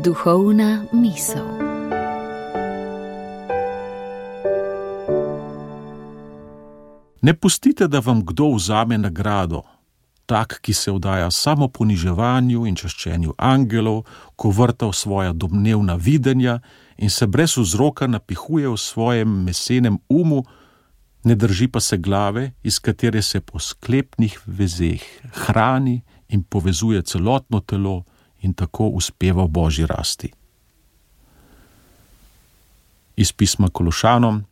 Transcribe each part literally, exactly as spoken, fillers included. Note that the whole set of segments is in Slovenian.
Duhovna misel. Ne pustite, da vam kdo vzame nagrado, tak, ki se vdaja samo poniževanju in čaščenju angelov, ko vrta v svoja domnevna videnja in se brez vzroka napihuje v svojem mesenem umu, ne drži pa se glave, iz katere se po sklepnih vezeh hrani in povezuje celotno telo in tako uspeva v Božji rasti. Iz pisma Kološanom,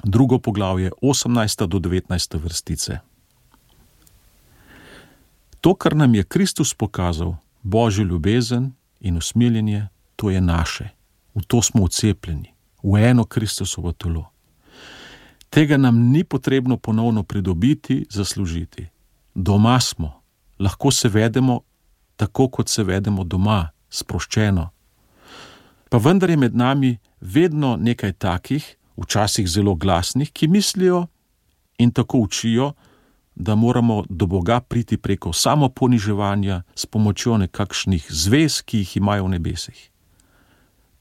drugo poglavje, osemnajsta do devetnajsta vrstice. To, kar nam je Kristus pokazal, Božjo ljubezen in usmiljenje, to je naše. V to smo vcepljeni, v eno Kristusovo telo. Tega nam ni potrebno ponovno pridobiti, zaslužiti. Doma smo, lahko se vedemo tako, kot se vedemo doma, sproščeno. Pa vendar je med nami vedno nekaj takih, včasih zelo glasnih, ki mislijo in tako učijo, da moramo do Boga priti preko samoponiževanja s pomočjo nekakšnih zvez, ki jih imajo v nebesih.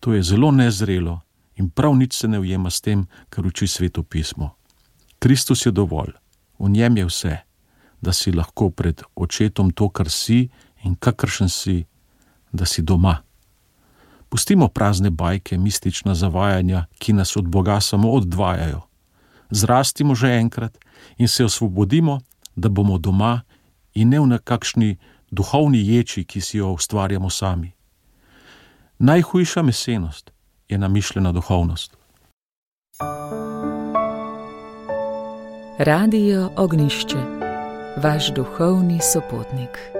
To je zelo nezrelo in prav nič se ne ujema s tem, kar uči Sveto pismo. Kristus je dovolj, v njem je vse, da si lahko pred očetom to, kar si in kakršen si, da si doma. Pustimo prazne bajke, mistična zavajanja, ki nas od Boga samo odvajajo. Zrastimo že enkrat in se osvobodimo, da bomo doma in ne v nekakšni duhovni ječi, ki si jo ustvarjamo sami. Najhujša mesenost je namišljena duhovnost. Radio Ognjišče, vaš duhovni sopotnik.